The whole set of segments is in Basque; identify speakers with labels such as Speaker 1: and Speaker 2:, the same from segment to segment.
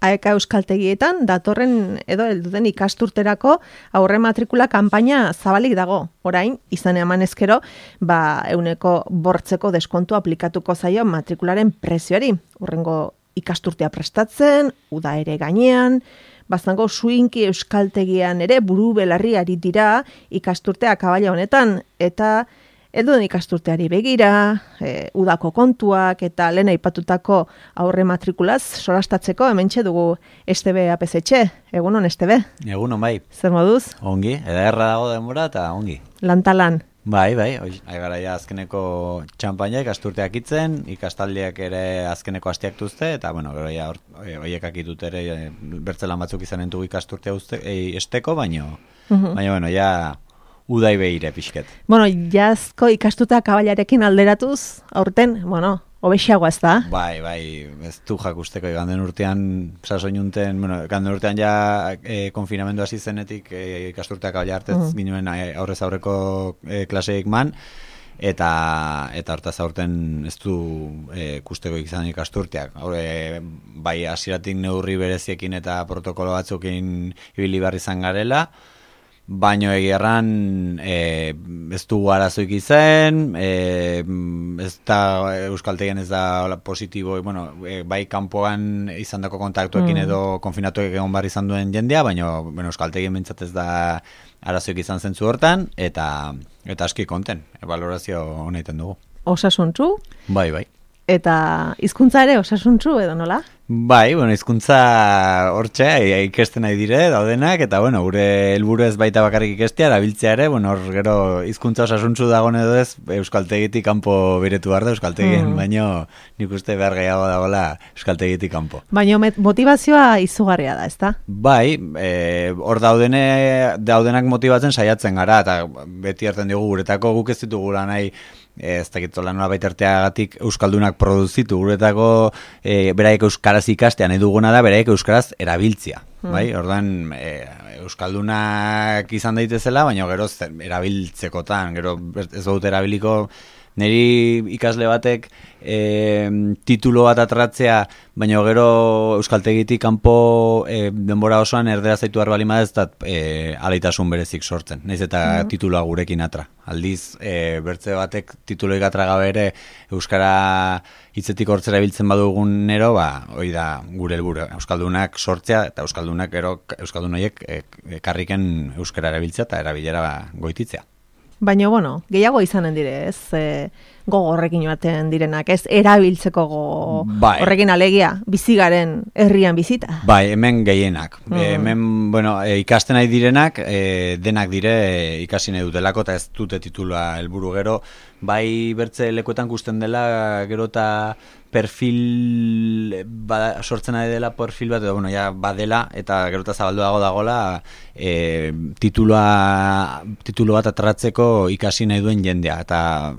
Speaker 1: AEK euskaltegietan datorren edo helduden ikasturterako aurre matrikula kanpaina zabalik dago. Orain, izan eman ezkero, 100% deskontu aplikatuko zaio matrikularen prezioari. Hurrengo ikasturtea prestatzen, uda ere gainean, bazango suinki euskaltegian ere buru belarri ari dira ikasturtea kabala honetan, eta helduden ikasturteari begira, udako kontuak eta lehen aipatutako aurre matrikulaz solastatzeko hementxe dugu STB APZ-etxe. Egunon, STB?
Speaker 2: Egunon, bai.
Speaker 1: Zer moduz?
Speaker 2: Ongi, ederra dago denbora eta ongi.
Speaker 1: Lantalan.
Speaker 2: Bai, gara ja azkeneko txampaina ikasturteak itzen, ikastaldiak ere azkeneko hastiaktuzte, eta gero ja horiek akitut ere bertzelan batzuk izanen dugu ikasturtea esteko, baino, ja udai behire pixket.
Speaker 1: Jazko ikastuta kabalarekin alderatuz, aurten, hobexeagoa ez da?
Speaker 2: Bai, ez du jakusteko iganden urtean, sasoinunten, iganden urtean ja konfinamendu hasi zenetik ikasturteak kabala hartez ginen aurrez aurreko klaseik man, eta hortaz aurten ez du kusteko izan ikasturteak. Bai, hasieratik neurri bereziekin eta protokolo batzukin ibili behar izan garela, baino egiarran ez dugu arazoik izan, ez da euskaltegian ez da positibo, bai kanpoan izandako kontaktuekin edo konfinatuek egon bar izan duen jendea, baino euskaltegien bintzat ez da arazoik izan zentzu hortan, eta aski konten, valorazio honetan dugu.
Speaker 1: Osasuntzu?
Speaker 2: Bai.
Speaker 1: Eta hizkuntza ere osasuntzu edo nola?
Speaker 2: Bai, hizkuntza hortxe ikesten nahi dire daudenak, eta gure helburu ez baita bakarrik ikestea, erabiltzea ere, hor gero hizkuntza osasuntzu dagoen edo ez, euskaltegitik kanpo beretu behar da euskaltegien, baino nik uste behar gehiago dagoela euskaltegitik kanpo.
Speaker 1: Baino motivazioa izugarria da, ezta?
Speaker 2: Bai, hor daudenak motibatzen saiatzen gara, eta beti hartzen dugu guretako guk ez ditugula nahi, ez dakitola nola baiterteagatik euskaldunak produzitu, guretako beraiek euskaraz ikastean eduguna da, beraiek euskaraz erabiltzia. Bai, orduan euskaldunak izan daitezela, baina gero erabiltzekotan, gero ez dut erabiliko niri ikasle batek titulo bat atratzea, baina gero euskaltegitik kanpo denbora osoan erderaz zaitu harba lima ez da alaitasun berezik sortzen, nahiz eta tituloa gurekin atra. Aldiz, bertze batek tituloik atra gabe ere euskara hitzetik hortzera biltzen badugun nero, hori da gure helburu, euskaldunak sortzea eta euskaldunak gero euskaldun horiek karriken euskara erabiltzea eta erabilera goititzea.
Speaker 1: Baina, gehiago izanen dire, ez? Gogo horrekin baten direnak, ez? Erabiltzeko horrekin alegia, bizigaren herrian bizita.
Speaker 2: Bai, hemen gehienak. Hemen, ikasten nahi direnak, denak dire ikasi nahi dutelako, eta ez dute titula helburu gero. Bai, bertze lekuetan gusten dela, gero eta perfil sortzen nahi dela perfil bat, edo ja badela, eta gero eta zabalduago dagoela titulo bat atratzeko ikasi nahi duen jendea, eta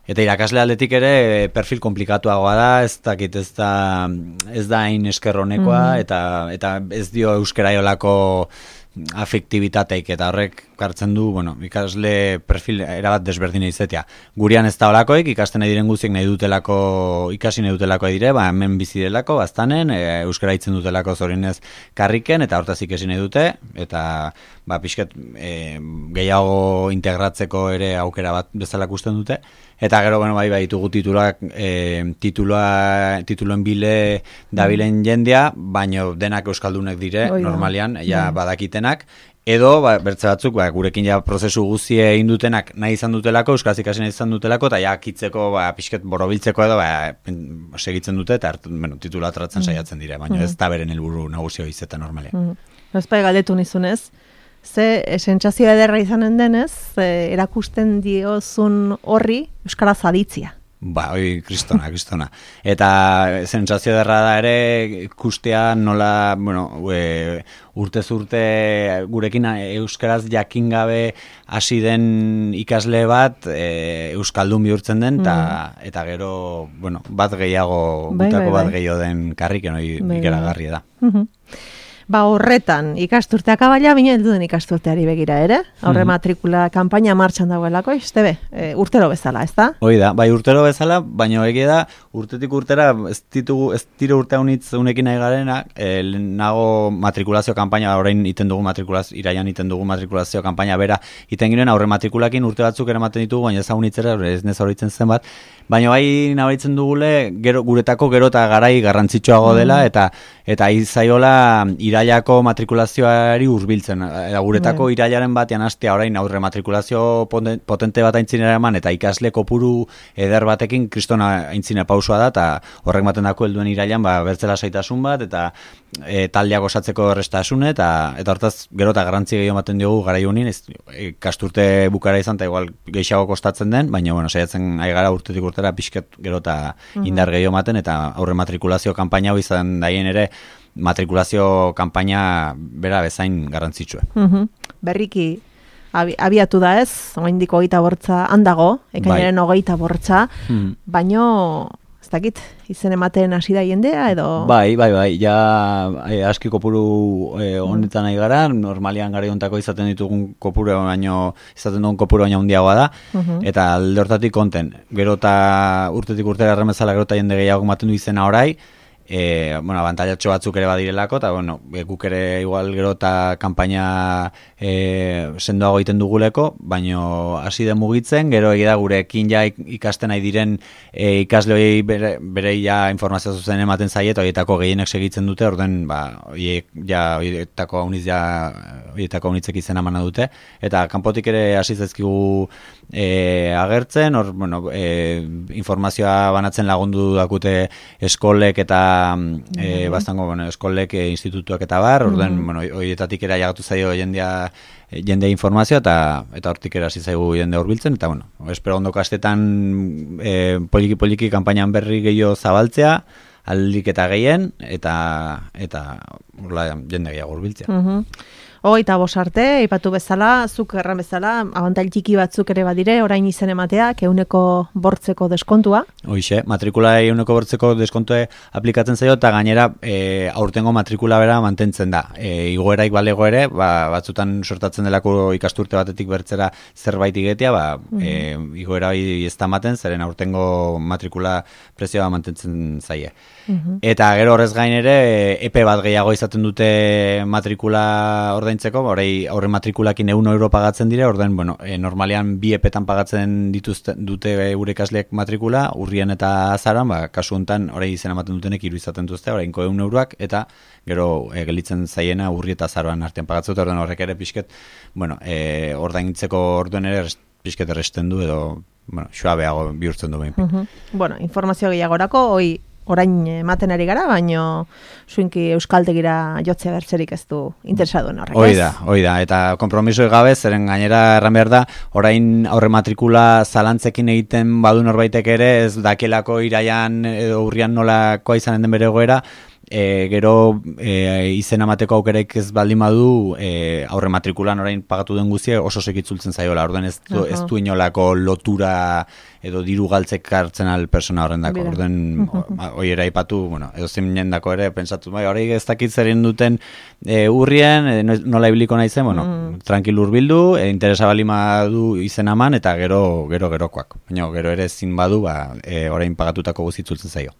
Speaker 2: irakasle aldetik ere perfil komplikatuagoa da, ez da hain eskerronekoa, eta ez dio euskeraiolako afektibitateik, eta horrek kartzen du, ikasle perfil erabat desberdina izatea. Gurian ez da holakoik, ikasten nahi diren guztiek nahi dutelako, ikasi nahi dutelako dire, hemen bizi delako, baztanen, euskara hitzen dutelako zorinez karriken, eta hortaz ikasi nahi dute, eta pixket gehiago integratzeko ere aukera bat bezala ikusten dute, eta gero, bai, ditugu tituloen bile dabilen jendea, baino denak euskaldunek dire, normalian, badakitenak, edo, bertze batzuk, gurekin prozesu guztie egin dutenak nahi izan dutelako, euskaraz ikasi nahi izan dutelako, eta kitzeko, pixket borobiltzeko edo, segitzen dute, eta titula atratzen saiatzen dire, baina ez da beren helburu nagusio izetan normalean.
Speaker 1: Ezpai galdetu nizunez, ze sentsazio ederra izanen denez, erakusten diozun horri euskaraz aditzia.
Speaker 2: Hori kristona. Eta sentsazio ederra da ere ikustea nola, urtez urte gurekin euskaraz jakin gabe hasi den ikasle bat euskaldun bihurtzen den, eta gero, bat gehiago, gutako bat gehiago den karriken hori ikeragarria da.
Speaker 1: Ba horretan ikasturteak abaila, bine heldu den ikasturteari begira ere. Aurre matrikula kanpaina martxan dagoelako, Estebe, urtero bezala, ez da?
Speaker 2: Hoi da, bai urtero bezala, baina egia da, urtetik urtera, ez dire urte haunitz unekin nahi garena, nago matrikulazio kanpaina, orain iten dugu matrikulazio, iraian iten dugu matrikulazio kanpaina bera, iten ginen aurre matrikulakin urte batzuk eramaten ditugu, baina ez haunitzera, ez nez horitzen zen bat, baina bai nabaritzen dugule, guretako gero eta garai garrantzitsuago dela, eta izaiola irailako matrikulazioari hurbiltzen. Guretako irailaren batean hastea orain aurre matrikulazio potente bat aintzinera eman, eta ikasle kopuru eder batekin kristona aintzine pausua da, eta horrek maten dako helduen irailan bertzela saitasun bat, eta taldeak osatzeko errestasune, eta hortaz gero eta garrantzi gehiago ematen diogu garai honin, ikasturte bukara izan, eta igual gehiago kostatzen den, baina saiatzen ari gara urtetik urtera pixket gero eta indar gehiago ematen, eta aurre matrikulazio kanpaina hau izan daien ere matrikulazio kanpaina bera bezain garrantzitsua.
Speaker 1: Berriki abiatu da ez, oraindik 25 handago, ekainaren 25, baino ez dakit, izen ematen hasi da jendea edo...
Speaker 2: Bai, ja aski kopuru honetan nahi gara, normalian gara hontako izaten ditugun kopuru baino, izaten dugun kopuru baino handiagoa da, eta alde hortatik konten, gero eta urtetik urtera erremezala gero eta jende gehiago ematen du izena orai, abantailatxo batzuk ere badirelako, eta guk ere igual gero eta kanpaina sendoago egiten duguleko, baino hasi den mugitzen, gero egia gurekin ja ikasten nahi diren ikasleoi bere ja informazio zuzen ematen zaie, eta horietako gehienek segitzen dute, orden horietako haunitzek izena emana dute, eta kanpotik ere hasi zaizkigu agertzen, informazioa banatzen lagundu dakute eskolek eta eskolek, institutuak eta bar, horietatik era jagatu zaio jende informazioa eta hortik era hasi zaigu jende hurbiltzen, eta espero ondo kastetan poliki kanpainan berri gehiago zabaltzea, aldik eta gehien, eta jende gehiago hurbiltzea.
Speaker 1: 25 arte, aipatu bezala, zuk erran bezala, abantail txiki batzuk ere badire, orain izen emateak, 100% deskontua.
Speaker 2: Hoixe, matrikula 100% deskontue aplikatzen zaio, eta gainera aurtengo matrikula bera mantentzen da. Igoeraik balego ere, batzutan sortatzen delako ikasturte batetik bertzera zerbait igetea, igoera ez da ematen, zeren aurtengo matrikula prezioa mantentzen zaie. Eta gero horrez gain ere, epe bat gehiago izaten dute matrikula ordaintzeko, aurre matrikulakin €1 pagatzen dire, normalean bi epetan pagatzen dute gure ikasleek matrikula, urrian eta azaroan, kasu honetan izen ematen dutenek 3 izaten duzte, orainko €1, eta gero gelditzen zaiena urri eta azaroan artean pagatzen dute, horrek ere pixket, ordaintzeko orduen ere pixket erresten du, edo, suabeago bihurtzen du behin.
Speaker 1: Informazio gehiagorako, orain ematen ari gara, baino zuinki euskaltegira jotzea bertzerik ez du interesaduen horrek, ez?
Speaker 2: Hoi da, eta konpromiso gabe, zeren gainera erran behar da, orain aurre matrikula zalantzekin egiten badu norbaitek ere, ez dakielako iraian edo urrian nolakoa izanen den bere egoera, gero izen amateko aukeraik ez baldin badu aurre matrikulan orain pagatu den guztia oso sekitzultzen zaiola, orden ez du inolako lotura edo diru galtzek hartzen al persona horrendako, orden hoi eraipatu, edo zein dako ere pentsatu, hori ez dakit zerien duten urrien, nola ibiliko nahi zen, tranquil urbildu, interesa balima du izen aman, eta gerokoak, baina gero ere ezin badu, orain pagatutako guzitzultzen zaio.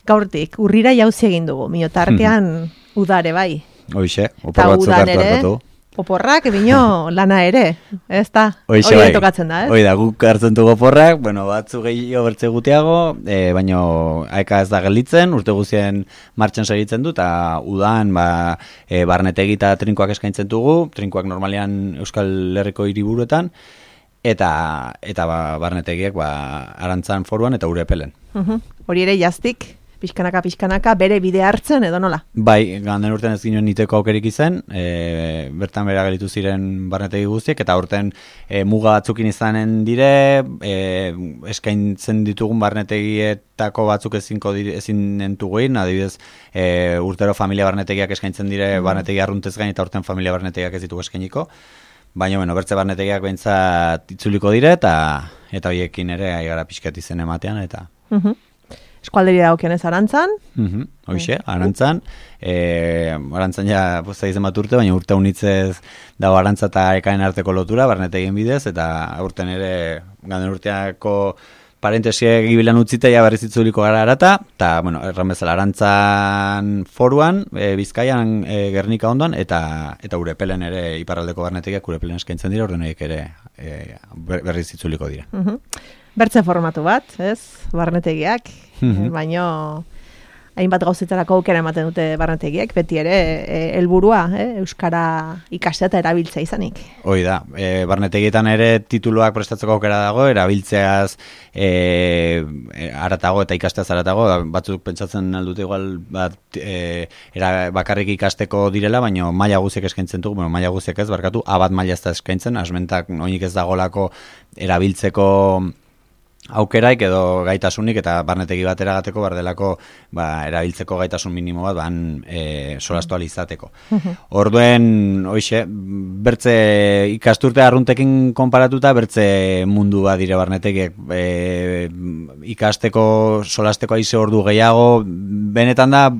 Speaker 1: Gaurtik, urrira jauzi egin dugu, minotartean udare bai.
Speaker 2: Hoixe, opor batzuk hartu hartu.
Speaker 1: Oporrak, bino, lana ere, ez da? Hoi tokatzen da, ez?
Speaker 2: Hoi da, guk hartzen dugu oporrak, batzu gehiago bertze gutiago, baino aeka ez da gelditzen, urte guzien martxan segitzen du, eta udan barnetegi eta trinkoak eskaintzen dugu, trinkoak normalean Euskal Herriko hiriburuetan, eta barnetegiak Arantzan Foruan eta Urepelen.
Speaker 1: Hori ere jaztik? Pixkanaka, bere bide hartzen edo nola?
Speaker 2: Bai, ganden urten ez ginen niteko aukerik izan, bertan bera gelitu ziren barnetegi guztiek, eta urten muga batzukin izanen dire, eskaintzen ditugun barnetegietako batzuk ezin entuguin, adibidez, urtero familia barnetegiak eskaintzen dire barnetegi arruntez gain, eta urten familia barnetegiak ez ditugu eskainiko, baina, bertze barnetegiak behintzat itzuliko dire, eta horiekin ere aigara pixkat izen ematean, eta...
Speaker 1: eskualderi dagokionez Arantzan.
Speaker 2: Hoxe, Arantzan. Arantzan ja posta izan bat urte, baina urte unitzez dago Arantza eta Ekaen arteko lotura, barnetegien bidez, eta urten ere ganden urteako parentesiek gibilan utzita ja berriz itzuliko gara arata, eta, bueno, erran bezala Arantzan foruan, Bizkaian Gernika ondoan, eta Urepelen ere iparraldeko barnetegiak Urepelen eskaintzen dira, ordenaik ere berriz itzuliko dira.
Speaker 1: Bertze formatu bat, ez? Barnetegiak, baino hainbat gauzetarako aukera ematen dute barnetegiek, beti ere helburua, euskara ikastea eta erabiltzea izanik.
Speaker 2: Hoi da, barnetegietan ere tituluak prestatzeko aukera dago, erabiltzeaz aratago eta ikasteaz aratago, batzuk pentsatzen aldute igual bakarrik ikasteko direla, baina maila guziek eskaintzen dugu, maila guziek ez, barkatu, abat maila ez da eskaintzen, asmentak oinik ez dagolako erabiltzeko aukeraik edo gaitasunik eta barnetegi bat eragateko bardelako erabiltzeko gaitasun minimo bat solastu izateko. Orduen, hoxe, bertze ikasturte arruntekin konparatuta, bertze mundu bat dire barnetegiek ikasteko, solasteko aize ordu gehiago, benetan da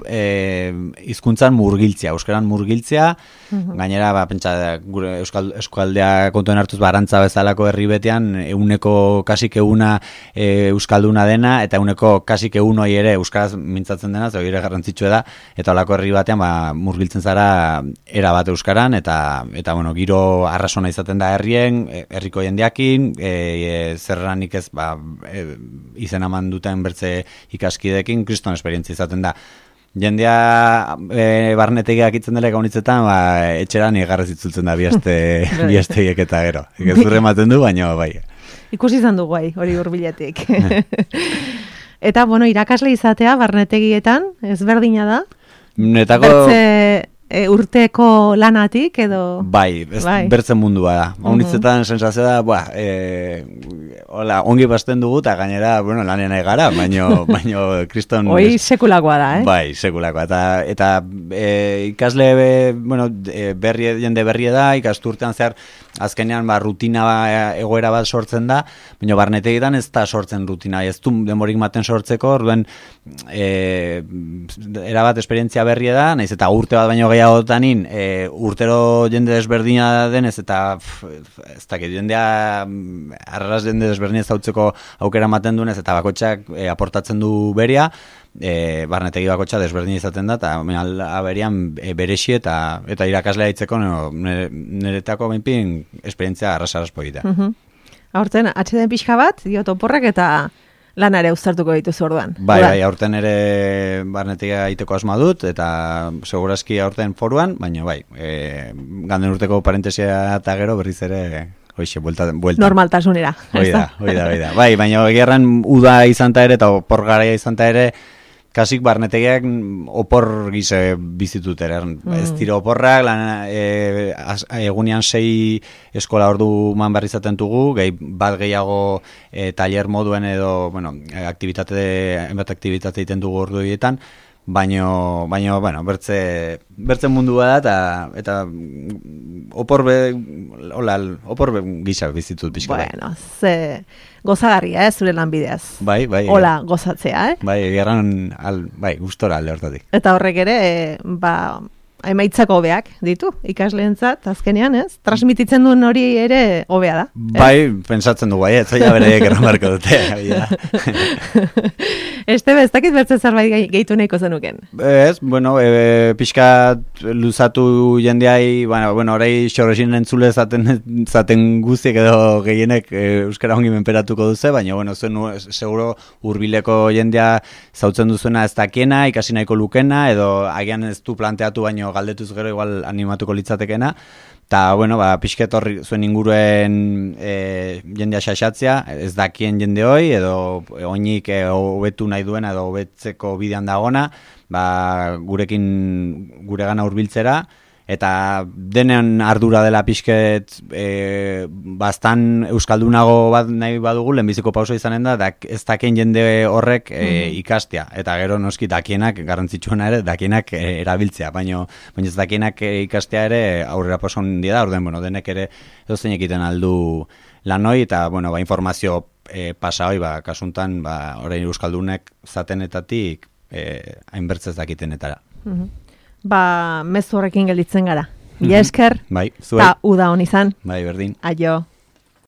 Speaker 2: hizkuntzan murgiltzea, euskaran murgiltzea, gainera, pentsa, gure euskaldea kontuen hartuz Arantza bezalako herri betean, kasik euna euskalduna dena, eta euneko kasik eunoi ere euskaraz mintzatzen dena, zeu ere garrantzitsua da, eta olako herri batean murgiltzen zara era bat euskaran, eta bueno, giro arrasona izaten da herriko jendeakin, zerranik ez izen eman duten bertze ikaskidekin, kriston esperientzia izaten da. Jendea barnetegiak itzen dela gaunitzetan, etxeran egarrez itzultzen da biazteiek eta gero. Gezurre ematen du, baina bai.
Speaker 1: Ikusi izan dugu hori hurbiletik. Eta, bueno, irakasle izatea barnetegietan, ezberdina da?
Speaker 2: Netako...
Speaker 1: Bertze urteko lanatik edo...
Speaker 2: Bai, bertzen mundua da. Haunitzetan sensazio da, ongi basten dugu, eta gainera, lanen nahi gara, baino kriston...
Speaker 1: Hoi sekulakoa da,
Speaker 2: Bai, sekulakoa. Eta ikasle, jende berri da, ikasturtean zehar, azkenean rutina egoera bat sortzen da, baina barnetegietan ez da sortzen rutina, ez du demorik maten sortzeko, orduen erabat esperientzia berria da, naiz eta urte bat baino gehiagotanin, urtero jende desberdina denez, eta ez dakit, jendea arras jende desberdina zautzeko aukera maten dunez, eta bakotxak aportatzen du beria, barnetegi bakotxa desberdin izaten da, eta aberian berexi eta irakaslea itzeko niretako benpin esperientzia arras-arraspo egitea.
Speaker 1: Aurten, atxeden pixka bat, diot oporrak eta lanare uztartuko dituzu orduan.
Speaker 2: Bai, aurten ere barnetegia egiteko asma dut, eta segurazki aurten foruan, baina bai, ganden urteko parentesia eta gero berriz ere... Hoxe, buelta.
Speaker 1: Normaltasunera.
Speaker 2: Oida. Bai, baina gerran uda izan ta ere, eta opor garaia izan ta ere, kasik barnetegiak opor gize bizitut ere. Ez tiro oporrak, egunean 6 eskola ordu man barri izaten dugu, bat gehiago taller moduen edo, hainbat aktivitate egiten dugu ordu egiten, baino, bertzen mundua da, eta opor gisa bizitut pixka.
Speaker 1: Bueno, gozagarria, zure lanbideaz.
Speaker 2: Bai.
Speaker 1: Hola, gozatzea,
Speaker 2: Bai, gerran, gustora alde hortatik.
Speaker 1: Eta horrek ere, emaitzako hobeak ditu, ikasleentzat, azkenean, ez? Transmititzen duen hori ere hobea da.
Speaker 2: Bai, pensatzen dugu, ez zaila bereiek erramarko dute.
Speaker 1: Estebe, ez dakit bertzen zerbait gehitu nahiko zenuken?
Speaker 2: Ez, pixkat luzatu jendeai, orai xorresin entzule zaten guztiek edo gehienek euskara ongi menperatuko duze, baina, seguro hurbileko jendea zautzen duzuena ez dakiena, ikasi nahiko lukena, edo agian ez du planteatu baino galdetuz gero igual animatuko litzatekena, eta, pixket horri zuen inguruen jendea xaxatzea, ez dakien jende hoi, edo oinik hobetu nahi duena, edo hobetzeko bidean dagona, guregana hurbiltzera, eta denen ardura dela pixket bastan euskaldunago bat nahi badugu, lehenbiziko pauso izanen da, ez dakien jende horrek ikastea, eta gero noski dakienak, garrantzitsuena ere, dakienak erabiltzea, baina ez dakienak ikastea ere aurrera paso handia da, denek ere edo zein egiten aldu lanoi, eta, bueno, informazio pasa hoi, kasuntan, orain euskaldunek zatenetatik hainbertzez dakitenetara.
Speaker 1: Mezu horrekin gelditzen gara. Mila esker,
Speaker 2: bai, zuei.
Speaker 1: Ta uda hon izan.
Speaker 2: Bai, berdin.
Speaker 1: Aio.